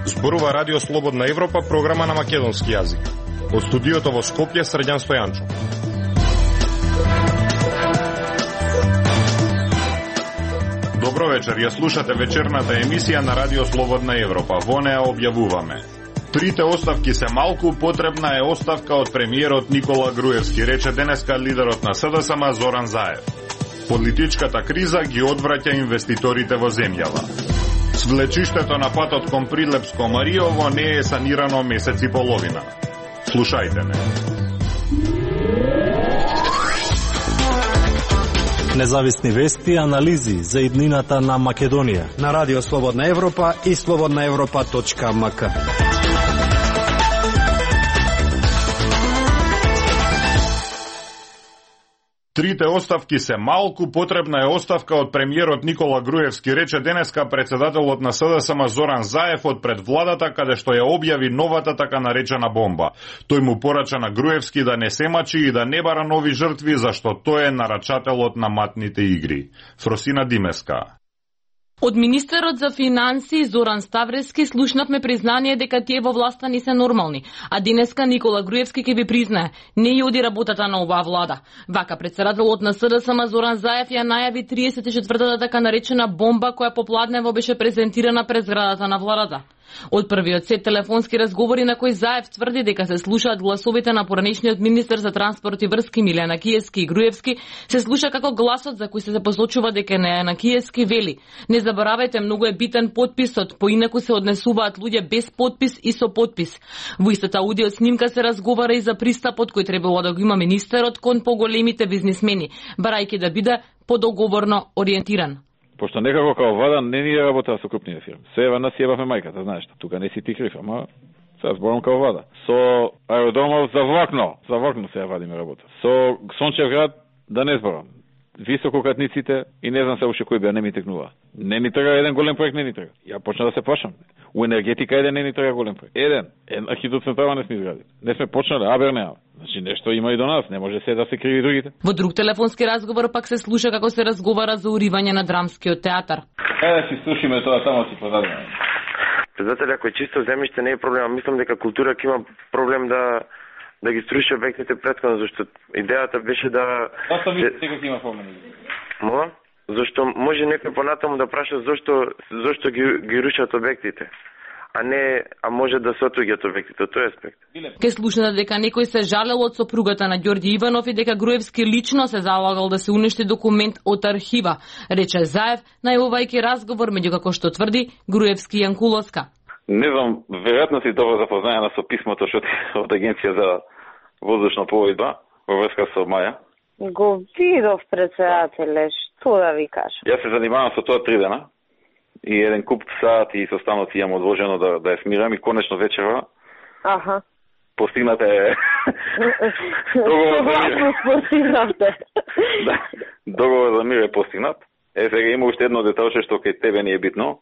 Зборува Радио Слободна Европа, програма на македонски јазик. Од студиото во Скопје, Срđan Стојанчо. Добро вечер, ја слушате вечерната емисија на Радио Слободна Европа. Во неа објавуваме: трите оставки се малку, потребна е оставка од премиерот Никола Груевски, рече денеска лидерот на СДСМ Зоран Заев. Политичката криза ги одвраќа инвеститорите во земјава. Свлечиштето на патот кон Прилепско Мариово не е санирано месец и половина. Слушајте не. Независни вести и анализи за иднината на Македонија на Радио Слободна Европа и slobodnaevropa.mk. Трите оставки се малку, потребна е оставка од премиерот Никола Груевски, рече денеска председателот на СДСМ Зоран Заев од пред владата, каде што ја објави новата така наречена бомба. Тој му порача на Груевски да не се мачи и да не бара нови жртви, зашто тој е нарачателот на матните игри. Фросина Димеска. Од министерот за финансии Зоран Ставрески слушнавме признание дека тие во власта не се нормални, а денеска Никола Груевски ќе ви признае, не ја оди работата на оваа влада. Вака председателот на СДСМ Зоран Заев ја најави 34-та така наречена бомба која попладнево беше презентирана пред зградата на владата. Од првиот сет телефонски разговори на кој Заев тврди дека се слушаат гласовите на поранешниот министер за транспорт и врски Милјана Киевски и Груевски, се слуша како гласот за кој се посочува дека не е на Киевски вели: не заборавајте, многу е битен подписот, поинаку се однесуваат луѓе без подпис и со подпис. Во истата аудио снимка се разговара и за пристапот кој требало да го има министерот кон поголемите бизнисмени, барајќи да биде подоговорно ориентиран. Пошто некако као влада не ни работа со крупнија фирми. Се ева нас јебавме мајката, знаеш, тука не си ти крив, ама сега зборам као влада. Со аеродромов за влакно се ја вадиме работа. Со Сончев град да не зборам. Висококатниците и не знам се уште кој беа, не ми текнува. Не ни треба еден голем проект, не ни треба. Ја почна да се плашам. У енергетика еден не ни треба голем проект. Една хидроцентрала не сме изградили. Не сме почнале, абернеа. Значи нешто има и до нас, не може се да се криви другите. Во друг телефонски разговор пак се слуша како се разговара за уривање на драмскиот театар. Да си слушаме тоа, само си подадеме. Председател, ако е чисто земјиште не е проблем, мислам дека култура ќе има проблем да ги струши обектите претходно, зашто идејата беше да... Зашто мислите дека има проблем? Мола? Зашто може некој понатаму да праша зашто ги рушат обектите, а може да се отуѓат обектите, тој аспект. Ке слушнете дека некој се жалел од сопругата на Ѓорѓи Иванов и дека Груевски лично се залагал да се уништи документ од архива, рече Заев, најавувајќи разговор меѓу, како што тврди, Груевски и Јанкуловска. Не знам, веројатно си добро запознаена со писмото што од Агенција за воздушна пловидба во врска со Маја. Го видов, председателе, што да ви кажам. Јас се занимавам со тоа 3 дена и еден куп сати и состаноци имам одложено да ја смирам и конечно вечерва. Аха. Постигнате договор за мир е постигнат. Сега има уште едно деталче што кај тебе не е битно.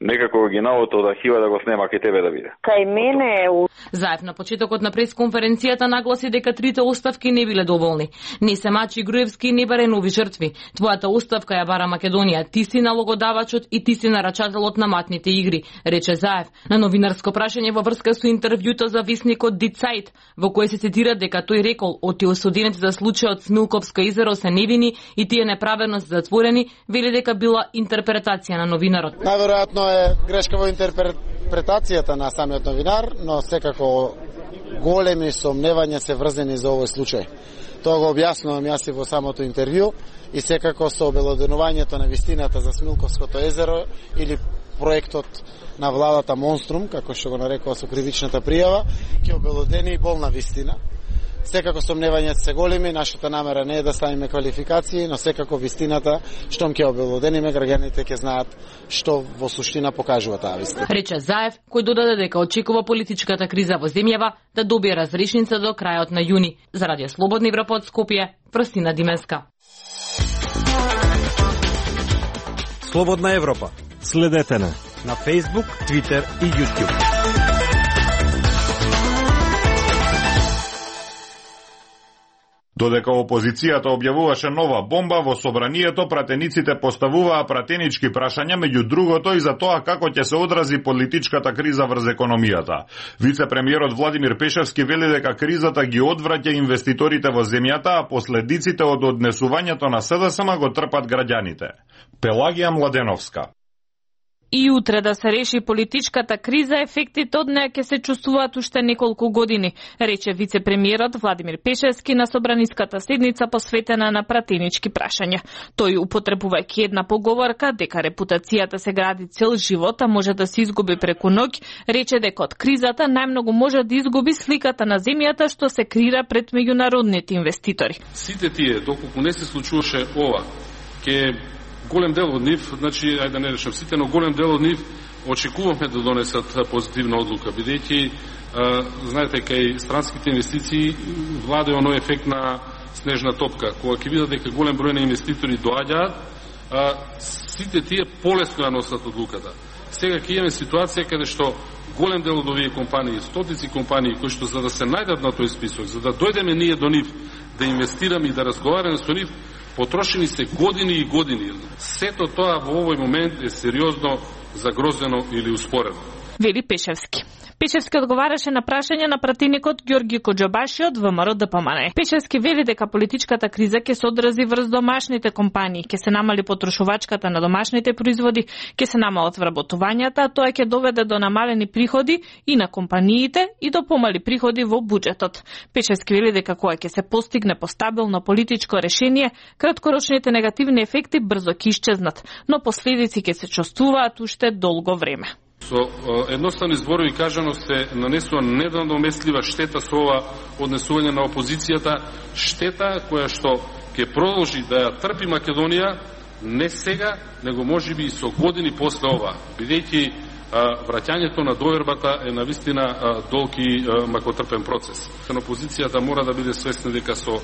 Некако оригиналото од архива да го снема кај тебе да биде. Кај мене е... Заев на почетокот на пресконференцијата нагласи дека трите оставки не биле доволни. Не се мачи Груевски и не баре нови жртви. Твојата оставка ја бара Македонија. Ти си налогодавачот и ти си нарачателот на матните игри, рече Заев. На новинарско прашање во врска со интервјуто за висникот Die Zeit, во кој се цитира дека тој рекол оти осудените за случајот Смилковско изеро се невини и тие неправедно се затворени, вели дека била интерпретација на новинарот. Најверојатно е грешка во интерпретацијата на самиот новинар, но секако големи сомневања се врзани за овој случај. Тоа го објаснувам јас и во самото интервју и секако со обелоденувањето на вистината за Смилковското езеро или проектот на владата Монструм, како што го нарекува со кривичната пријава, ќе обелодени и болна вистина. Секако сомневањата се големи, нашата намера не е да ставиме квалификации, но секако вистината, штом ќе обелодениме, граѓаните ќе знаат што во суштина покажува таа вистина. Рече Заев, кој додаде дека очекува политичката криза во земјава да добие разрешница до крајот на јуни. За Радио Слободна Европа од Скопје, Фросина Димеска. Слободна Европа. Следете на Facebook, Twitter и YouTube. Додека опозицијата објавуваше нова бомба, во собранието пратениците поставуваа пратенички прашања, меѓу другото и за тоа како ќе се одрази политичката криза врз економијата. Вице-премиерот Владимир Пешевски вели дека кризата ги одвраќа инвеститорите во земјата, а последиците од однесувањето на СДСМ го трпат граѓаните. Пелагија Младеновска. И утре да се реши политичката криза, ефектите од неа ќе се чувствуваат уште неколку години, рече вице-премиерот Владимир Пешевски на собраниската седница посветена на пратенички прашања. Тој, употребувајќи една поговорка дека репутацијата се гради цел живот, а може да се изгуби преку ноќ, рече дека од кризата најмногу може да изгуби сликата на земјата што се креира пред меѓународните инвеститори. Сите тие, доколку не се случуваше ова, ке голем дел од нив, значи, ајде да не решам сите, но голем дел од нив очекуваме да донесат позитивна одлука, бидејќи, знаете, кај странските инвестиции владе оној ефект на снежна топка. Кога ќе видат дека голем број на инвеститори доаѓаат, сите тие полесно ја носат одлуката. Сега ќе имаме ситуација каде што голем дел од овие компании, стотици компании, кои што за да се најдат на тој список, за да дојдеме ние до нив, да инвестираме и да разговараме со нив, потрошени се години и години. Сето тоа во овој момент е сериозно загрозено или успорено. Вели Пешевски. Пешевски одговараше на прашање на пратеникот Ѓорги Коџобаши од ВМРО ДПМН. Пешевски вели дека политичката криза ќе се одрази врз домашните компании, ќе се намали потрошувачката на домашните производи, ќе се намалат вработувањата, а тоа ќе доведе до намалени приходи и на компаниите и до помали приходи во буџетот. Пешевски вели дека кога ќе се постигне постабилно политичко решение, краткорочните негативни ефекти брзо ќе исчезнат, но последици ќе се чувствуваат уште долго време. Со едноставни зборови кажано се нанесува недонаместлива штета со ова однесување на опозицијата, штета која што ќе продолжи да ја трпи Македонија не сега, него можеби и со години после ова, бидејќи враќањето на довербата е навистина долг и макотрпен процес. Опозицијата мора да биде свесна дека со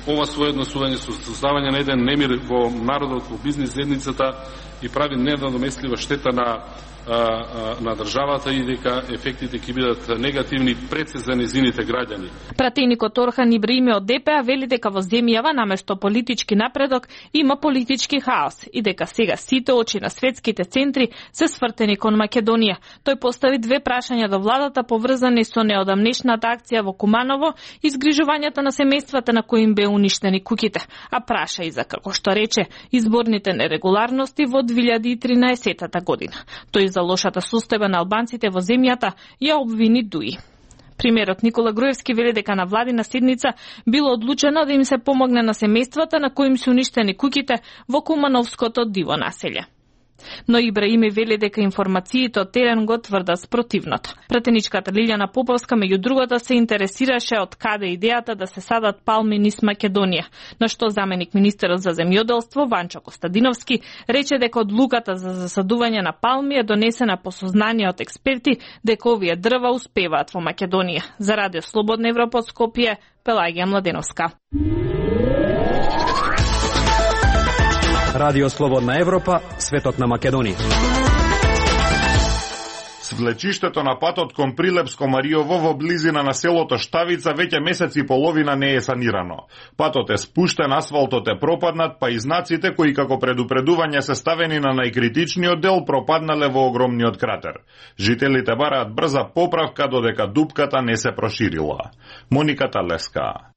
ова свое однесување, со создавање на еден немир во народот, во бизнис заедницата и прави недонаместлива штета на државата и дека ефектите ќе бидат негативни пред се за незините граѓани. Пратеникот Орхан Ибраими од ДПА вели дека во земјава наместо политички напредок има политички хаос и дека сега сите очи на светските центри се свртени кон Македонија. Тој постави две прашања до владата поврзани со неодамнешната акција во Куманово и згрижувањата на семејствата на кои им бе уништени куќите, а праша и за, како што рече, изборните нерегуларности во 2013 година. Тој за лошата состојба на албанците во земјата ја обвини ДУИ. Премиерот Никола Груевски вели дека на владина седница било одлучено да им се помогне на семејствата на кои им се уништени куќите во Кумановското диво населје. Но Ибраими вели дека информациите од терен го тврдат спротивното. Пратеничката Лилјана Поповска меѓу другото се интересираше од каде идејата да се садат палми низ Македонија, на што заменик министерот за земјоделство Ванчо Костадиновски рече дека одлуката за засадување на палми е донесена по сознание од експерти дека овие дрва успеваат во Македонија. За Радио Слободна Европа од Скопје, Пелагија Младеновска. Радио Слободна Европа, светот на Македонија. Свлечиштето на патот кон Прилепско-Мариово во близина на селото Штавица веќе месец и половина не е санирано. Патот е спуштен, асфалтот е пропаднат, па и знаците кои како предупредување се ставени на најкритичниот дел пропаднале во огромниот кратер. Жителите бараат брза поправка додека дупката не се проширила. Моника Талеска.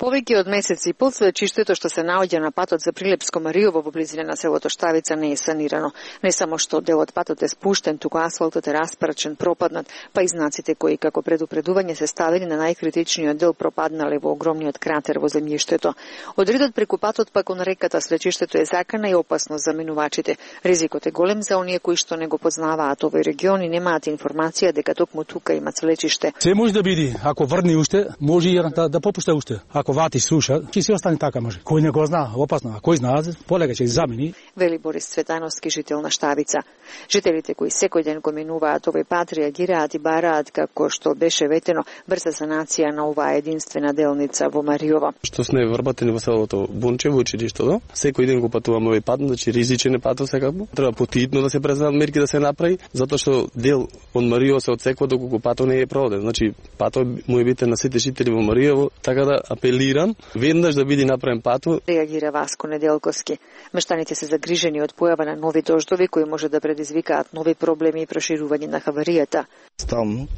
Повеќе од месец и пол свлечиштето што се наоѓа на патот за Прилепско-Мариово во близина на селото Штавица не е санирано. Не само што делот патот е спуштен, туку асфалтот е распрчен, пропаднат, па и знаците кои како предупредување се ставени на најкритичниот дел пропаднале во огромниот кратер во земјиштето. Одредот преку патот па кон реката свлечиштето е закана и опасно за минувачите. Ризикот е голем за оние кои што не го познаваат овој регион и немаат информација дека токму тука има свлечиште. Се може да биде, ако врни уште, може и да попушта уште. Ако вати слуша, ќе се остане така може. Кој не го знае, опасно, а кој знае, полека ќе замени. Вели Борис Цветановски, жител на Штавица. Жителите кои секој ден го минуваат овој пат реагираат и бараат како што беше ветено брза санација на оваа единствена делница во Мариово. Што сме вработени во селото Бунчево, училиштето, секој ден го патуваме овој пат, значи ризичен е патот секако. Треба потhitno да се преземат мерки да се направи, затоа што дел од Мариово се отсекува доколку патот не е проводен. Значи патот му е битен на сите жители во Мариово, така да апелирам нивелиран, веднаш да биде направен патот. Реагира Васко Неделковски. Мештаните се загрижени од појава на нови дождови кои може да предизвикаат нови проблеми и проширување на хаваријата. Стално,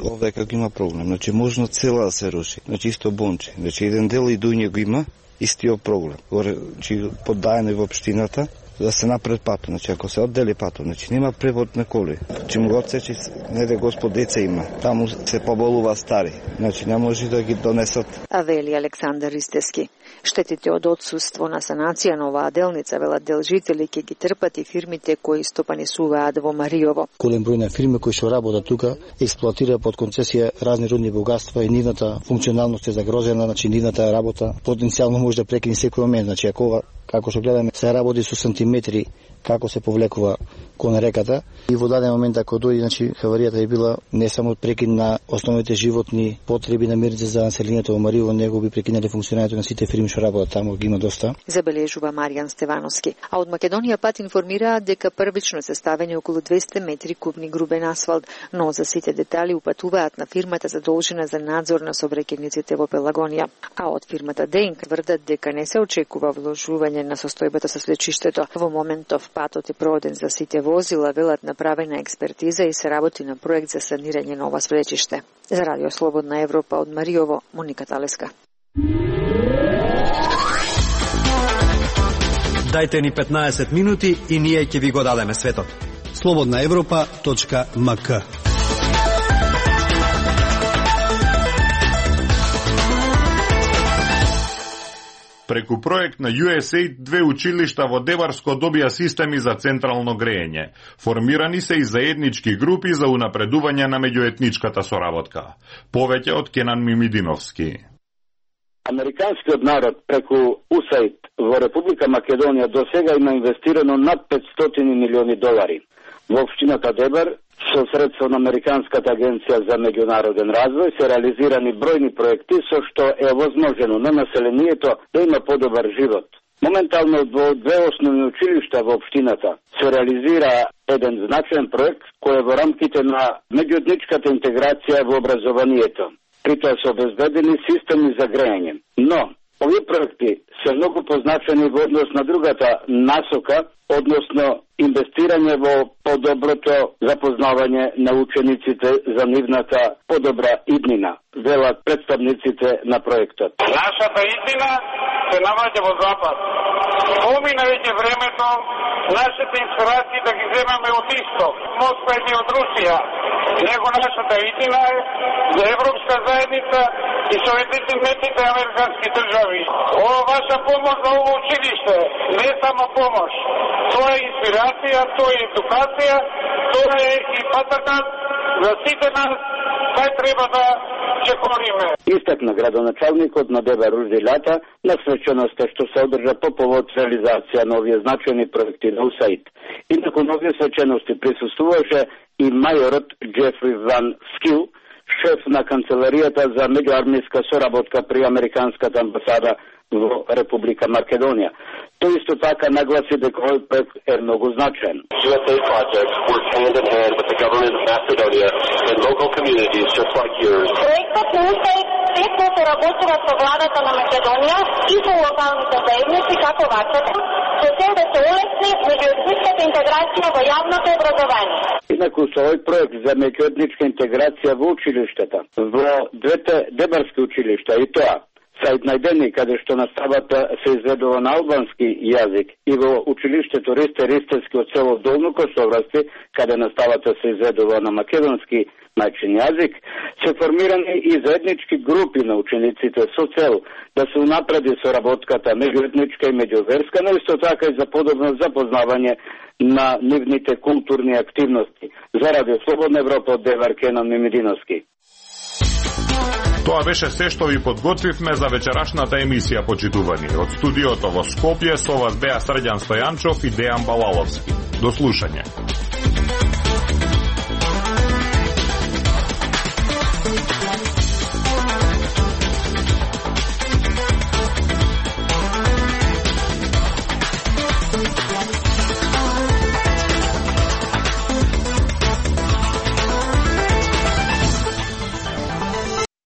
овде како има проблем, можно цела да се руши, исто Бонче, еден дел и дуње го има, истиот проблем. Поддајано во општината да се напред патот, ако се оддели патот, нема превод на коли. Му го отсечи, неде Господ деца има, таму се поболува стари, не може да ги донесат. А вели Александар Ристески. Штетите од отсуство на санација на оваа делница, велат делжители, ќе ги трпат и фирмите кои стопанисуваат во Мариово. Голем број на фирми кои што работат тука експлоатира под концесија разни рудни богатства и нивната функционалност е загрозена, нивната работа потенцијално може да прекине секој момент, ако како што гледаме се работи со сантиметри како се повлекува кон реката и во даден момент ако дојде, хаваријата е била не само прекин на основните животни потреби на мирите за населението во Мариово, него би прекинали функционирањето на сите фирми што работат таму, ги има доста. Забележува Маријан Стевановски. А од Македонија пат информираат дека првично се ставени околу 200 метри кубни грубен асфалт, но за сите детали упатуваат на фирмата задолжена за надзор на сообраќајниците во Пелагонија. А од фирмата Денк тврдат дека не се очекува вложување на состојбата со свлечиштето. Во моментов патот е проведен за сите возила, велат направена експертиза и се работи на проект за санирање на ова свлечиште. За Радио Слободна Европа од Мариово, Моника Талеска. Дајте ни 15 минути и ние ќе ви го дадеме светот. slobodnaevropa.mk. Преку проект на USAID, 2 училишта во Деварско добија системи за централно грејење. Формирани се и заеднички групи за унапредување на меѓуетничката соработка. Повеќе од Кенан Мимидиновски. Американскиот народ преку USAID во Република Македонија до сега има инвестирано над 500 милиони долари. Во општината Дебар, со средство на Американската агенција за меѓународен развој, се реализирани бројни проекти со што е возможено на населението да има подобар живот. Моментално во 2 основни училишта во општината се реализира еден значаен проект кој е во рамките на меѓуетничката интеграција во образованието. При тоа се обезбедени системи за грејање. Но овие проекти се многу позначени во однос на другата насока, односно инвестирање во подоброто запознавање на учениците за нивната подобра иднина, велат представниците на проектот. Нашата иднина се наоѓа во Запад. Помина веќе времето нашите инспирации да ги земаме од Исток, Москва и од Русија. Него нашата иднина е за Европска заедница и Соединетите американски држави. Ова ваша помош за ово училиште не е само помош. Тоа е инспирација, тоа е едукација, тоа е и патакат за сите нас, кај треба да чекориме. Истакна градоначалникот на Дебар Ружди Лата на свеченоста што се одржа по повод реализација на овие значајни проекти на USAID. И након овие свечености присуствуваше и мајорот Джефри Ван Скил, шеф на канцеларијата за меѓуармијска соработка при Американската амбасада во Република Македонија. Тој исто така нагласи дека овој проект е многу значаен. USAID projects work hand in hand with the government of Macedonia and local communities just like yours. Проектот на USAID тесно соработува со владата на Македонија и со локалните заедници како вашата, со цел да се улесни меѓуетничката интеграција во јавното образование. Инаку со овој проект за меѓуетничка интеграција во училиштата, во 2 дебарски училишта и тоа сајд најдени каде што наставата се изведува на албански јазик и во училиштето Ристе Ристевски од село Долно Косоврасти, каде наставата се изведува на македонски мајчин јазик, се формирани и заеднички групи на учениците со цел да се унапреди соработката меѓуетничка и меѓуверска, но исто така и за подобно запознавање на нивните културни активности. За Радио Слободна Европа од Девар, Кенан Мимидиновски. Тоа беше се што ви подготвивме за вечерашната емисија, почитувани. Од студиото во Скопје со вас беа Срđan Стојанчов и Дејан Балаловски. До слушање.